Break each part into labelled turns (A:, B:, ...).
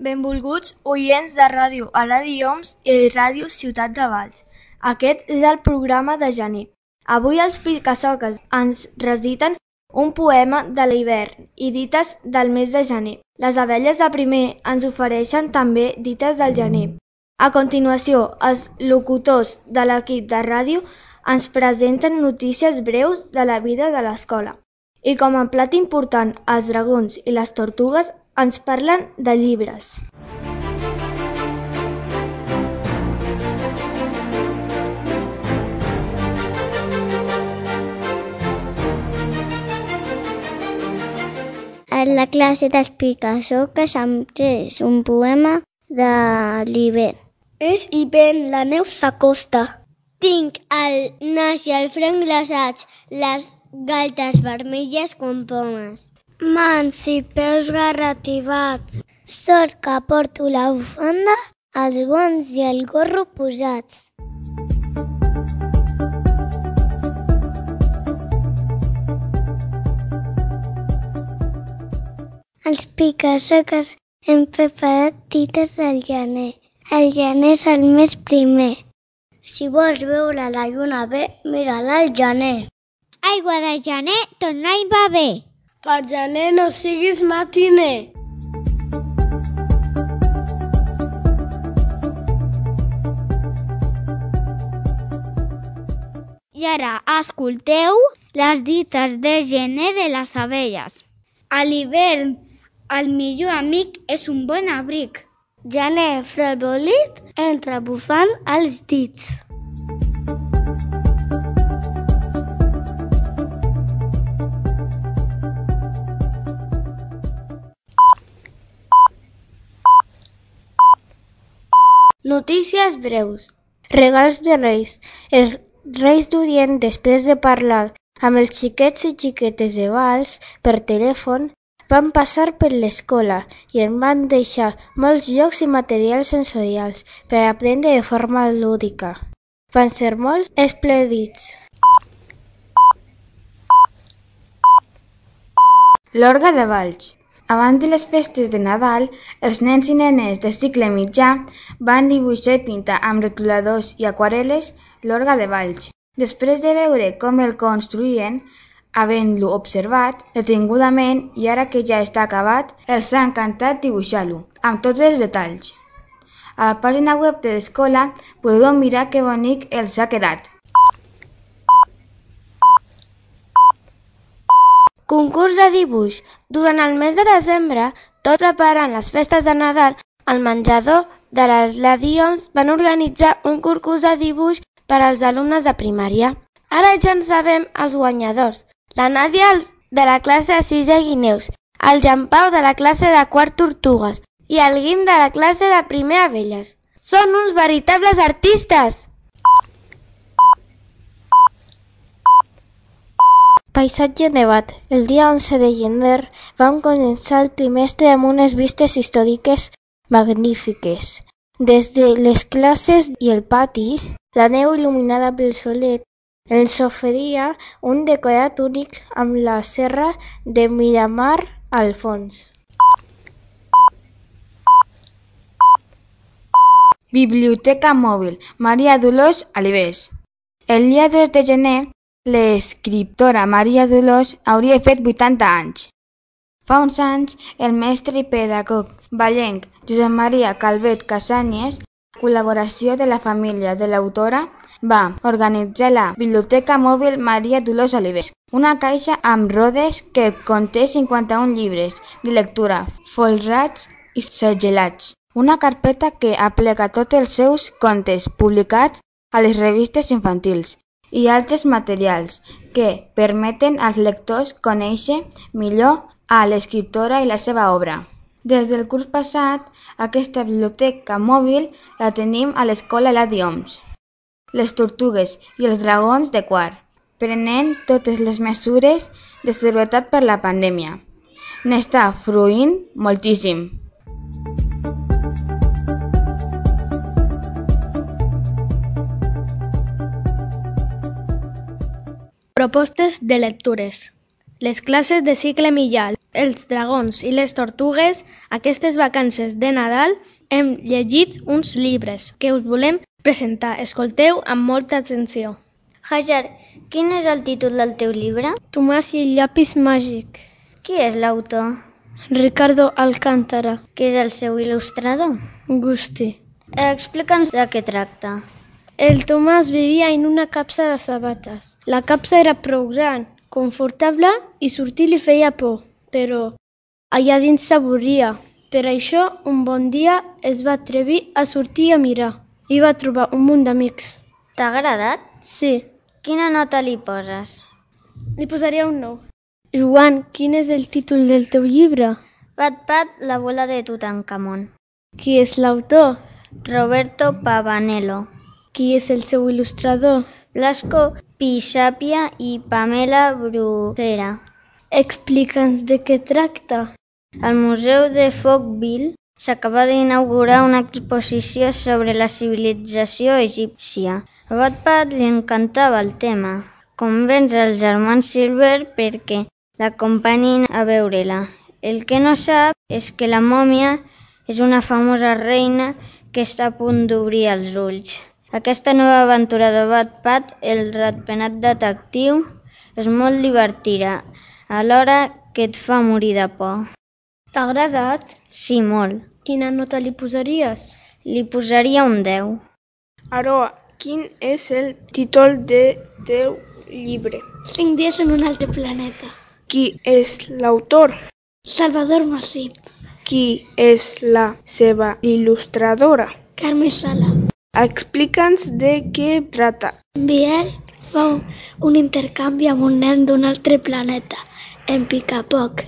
A: Benvolguts oients de Ràdio Aladi-Oms i Ràdio Ciutat de Valls. Aquest és el programa de gener. Avui els Picasoques ens reciten un poema de l'hivern i dites del mes de gener. Les abelles de primer ens ofereixen també dites del gener. A continuació, els locutors de l'equip de ràdio ens presenten notícies breus de la vida de l'escola. I com a plat important, els dragons i les tortugues ens parlen de llibres.
B: A la classe dels Picasoques hem pres un poema de l'hivern.
C: És hivern, la neu s'acosta.
B: Tinc el nas i el front glaçats, les galtes vermelles com pomes.
C: Mans i peus garrativats.
B: Sort que porto la bufanda, els guants i el gorro posats. Els Picasoques hem preparat dites del gener. El gener és el mes primer.
C: Si vols veure la lluna bé, mira-la al gener.
B: Aigua de gener, tot l'any va bé.
C: Per gener no siguis matiner.
B: I ara escolteu les dites de gener de les abelles.
C: A l'hivern, el millor amic és un bon abric. Gener frebolit, entra bufant els dits.
A: Notícies breus. Regals de Reis. Els Reis d'Orient, després de parlar amb els xiquets i xiquetes de Valls per telèfon, van passar per l'escola i en van deixar molts jocs i materials sensorials per aprendre de forma lúdica. Van ser molt esplèndids. L'orga de Valls. Abans de les festes de Nadal, els nens i nenes de cicle mitjà van dibuixar i pintar amb retoladors i aquarel·les l'orga de Valls. Després de veure com el construïen, havent-lo observat detingudament i ara que ja està acabat, els ha encantat dibuixar-lo, amb tots els detalls. A la pàgina web de l'escola podeu mirar que bonic els ha quedat. Concurs de dibuix. Durant el mes de desembre, tot preparant les festes de Nadal, al menjador de l'Aladi-Oms van organitzar un concurs de dibuix per als alumnes de primària. Ara ja en sabem els guanyadors. La Nàdia de la classe de 6è Guineus, el Jean Pau de la classe de 4 Tortugues i el Guim de la classe de 1è Abelles. Són uns veritables artistes! Paisatge nevat. El dia 11 de gener vam començar el trimestre amb unes vistes històriques magnífiques. Des de les classes i el pati, la neu il·luminada pel solet ens oferia un decorat únic amb la serra de Miramar al fons. Biblioteca mòbil. Maria Dolors Alibés. El dia 2 de gener, l'escriptora Maria Dolors hauria fet 80 anys. Fa uns anys, el mestre i pedagog vallenc Josep Maria Calvet Casanyes, en col·laboració de la família de l'autora, va organitzar la Biblioteca Mòbil Maria Dolors Alibés, una caixa amb rodes que conté 51 llibres de lectura folrats i segellats, una carpeta que aplega tots els seus contes publicats a les revistes infantils i altres materials que permeten als lectors conèixer millor a l'escriptora i la seva obra. Des del curs passat, aquesta biblioteca mòbil la tenim a l'escola Aladi-Oms. Les tortugues i els dragons de quart, prenent totes les mesures de seguretat per la pandèmia. N'està fruint moltíssim.
C: Propostes de lectures.
D: les classes de cicle mitjà, els dragons i les tortugues, aquestes vacances de Nadal hem llegit uns llibres que us volem presentar. Escolteu amb molta atenció.
B: Hajar, quin és el títol del teu llibre?
D: Tomàs i el llapis màgic.
B: Qui és l'autor?
D: Ricardo Alcántara.
B: Qui és el seu il·lustrador?
D: Gusti.
B: Explica'ns de què tracta.
D: El Tomàs vivia en una capsa de sabates. La capsa era prou gran, confortable i sortir li feia por, però allà dins s'avorria. Per això, un bon dia es va atrevir a sortir a mirar i va trobar un munt d'amics.
B: T'ha agradat?
D: Sí.
B: Quina nota li poses?
D: Li posaria un 9. Joan, quin és el títol del teu llibre?
B: Pat, la bola de Tutankamon.
D: Qui és l'autor?
B: Roberto Pavanello.
D: Qui és el seu il·lustrador?
B: Blasco Pisapia i Pamela Bruguera.
D: Explica'ns de què tracta.
B: Al Museu de Folkville s'acaba d'inaugurar una exposició sobre la civilització egípcia. A Wattpad li encantava el tema. Convenç els germans Silver perquè l'acompanyin a veure-la. El que no sap és que la mòmia és una famosa reina que està a punt d'obrir els ulls. Aquesta nova aventura de Wattpad, el ratpenat detectiu, és molt divertida, alhora que et fa morir de por.
D: T'ha agradat?
B: Sí, molt.
D: Quina nota li posaries?
B: Li posaria un 10.
E: Aroa, quin és el títol del teu llibre?
C: 5 dies en un altre planeta.
E: Qui és l'autor?
C: Salvador Masip.
E: Qui és la seva il·lustradora?
C: Carme Sala.
E: Explica'ns de què tracta.
C: Biel fa un intercanvi amb un nen d'un altre planeta, en Picapoc.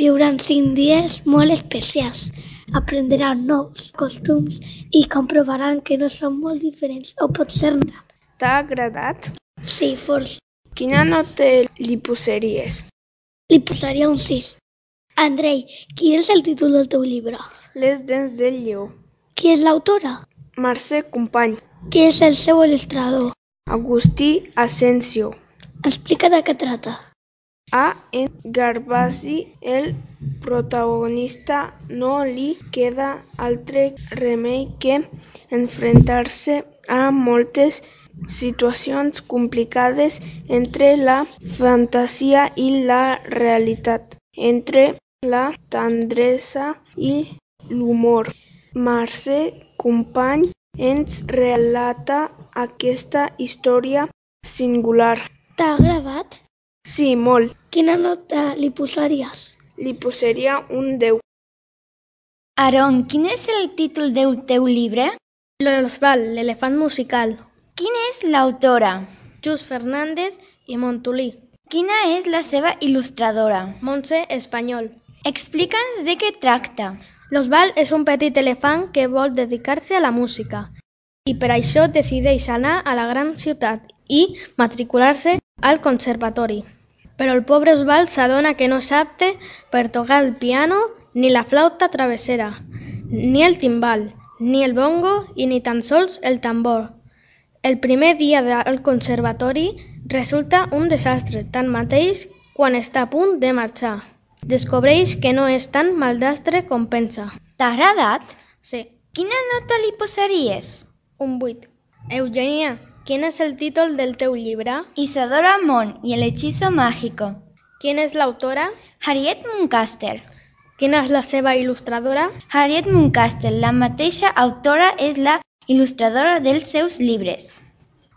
C: Viuran 5 dies molt especials. Aprendran nous costums i comprovaran que no són molt diferents, o potser no.
E: T'ha agradat?
C: Sí, força.
E: Quina nota li posaries?
C: Li posaria un 6. Andrei, quin és el títol del teu llibre?
E: Les dents del lleó.
C: Qui és l'autora?
E: Mercè Company.
C: Qui és el seu il·lustrador?
E: Agustí Asensio.
C: Explica de què trata.
E: En Gervasi, el protagonista, no li queda altre remei que enfrontar-se a moltes situacions complicades entre la fantasia i la realitat, entre la tendresa i l'humor. Mercè Company ens relata aquesta història singular.
C: T'ha agradat?
E: Sí, molt.
C: Quina nota li posaries?
E: Li posaria un 10.
A: Aaron, quin és el títol del teu llibre?
D: L'Osval, l'elefant musical.
A: Quina és l'autora?
D: Just Fernández i Montolí.
A: Quina és la seva il·lustradora?
D: Montse Espanyol.
A: Explica'ns de què tracta.
D: L'Osval és un petit elefant que vol dedicar-se a la música i per això decideix anar a la gran ciutat i matricular-se al conservatori. Però el pobre Osval s'adona que no és apte per tocar el piano, ni la flauta travessera, ni el timbal, ni el bongo i ni tan sols el tambor. El primer dia al conservatori resulta un desastre, tanmateix quan està a punt de marxar. Descobreix que no és tan maldastre com pensa.
A: T'ha agradat?
D: Sí.
A: Quina nota li posaries?
D: Un 8. Eugenia, quin és el títol del teu llibre?
A: Isadora Mon y el hechizo mágico.
D: Quina és l'autora?
A: Harriet Muncaster.
D: Quina és la seva il·lustradora?
A: Harriet Muncaster, la mateixa autora, és la il·lustradora dels seus llibres.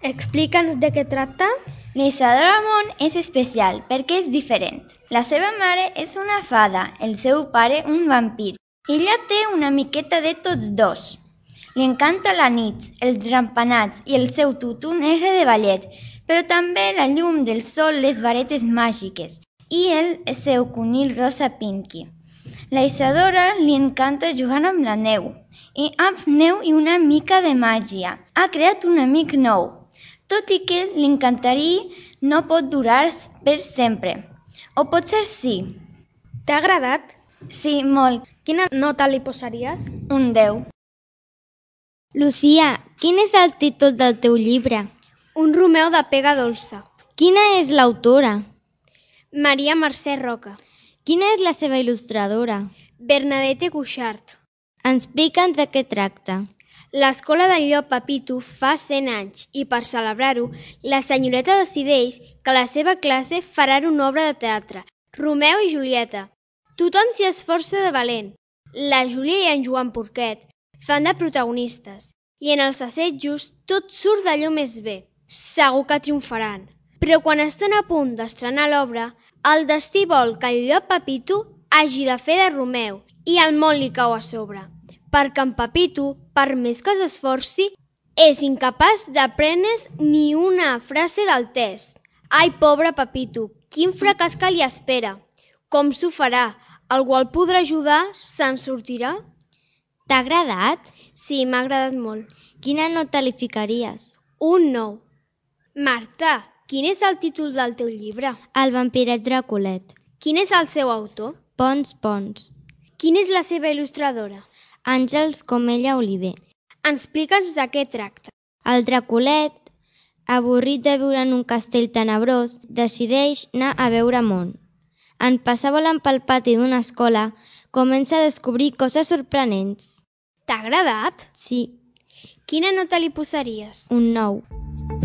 D: Explica'ns de què tracta?
A: L'Isadora Mon és especial perquè és diferent. La seva mare és una fada, el seu pare un vampir. Ella té una miqueta de tots dos. Li encanta la nit, els rampanats i el seu tutu negre de ballet, però també la llum del sol, les varetes màgiques i el seu conill rosa Pinky. La Isadora li encanta jugar amb la neu, i amb neu i una mica de màgia. Ha creat un amic nou, tot i que li encantaria no pot durar per sempre. O potser sí.
D: T'ha agradat?
A: Sí, molt.
D: Quina nota li posaries?
A: Un 10.
B: Lucía, quin és el títol del teu llibre?
C: Un Romeu de pega dolça.
B: Quina és l'autora?
F: Maria Mercè Roca.
B: Quina és la seva il·lustradora?
F: Bernadette Cuixart.
B: Explica'ns de què tracta.
F: L'Escola del Llop Pepito fa 100 anys i per celebrar-ho, la senyoreta decideix que la seva classe farà una obra de teatre, Romeu i Julieta. Tothom s'hi esforça de valent. La Júlia i en Joan Porquet fan de protagonistes i en els assajos tot surt d'allò més bé. Segur que triomfaran. Però quan estan a punt d'estrenar l'obra, el destí vol que el llop Pepito hagi de fer de Romeu i el món li cau a sobre, perquè en Pepito, per més que s'esforci, és incapaç d'aprendre's ni una frase del test. Ai, pobre Pepito, quin fracàs que li espera. Com s'ho farà? Algú el podrà ajudar? Se'n sortirà?
B: T'ha agradat?
F: Sí, m'ha agradat molt.
B: Quina nota li ficaries?
F: Un 9. Marta, quin és el títol del teu llibre?
B: El vampiret Draculet.
F: Quin és el seu autor?
B: Pons Pons.
F: Quina és la seva il·lustradora?
B: Àngels Comella Oliver.
F: Explica'ns de què tracta.
B: El Draculet, avorrit de viure en un castell tenebrós, decideix anar a veure món. En passar volant pel pati d'una escola, comença a descobrir coses sorprenents.
F: T'ha agradat?
B: Sí.
F: Quina nota li posaries?
B: Un 9.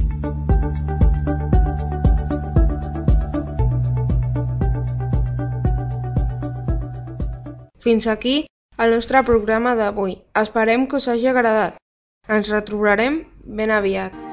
E: Fins aquí el nostre programa d'avui. Esperem que us hagi agradat. Ens retrobarem ben aviat.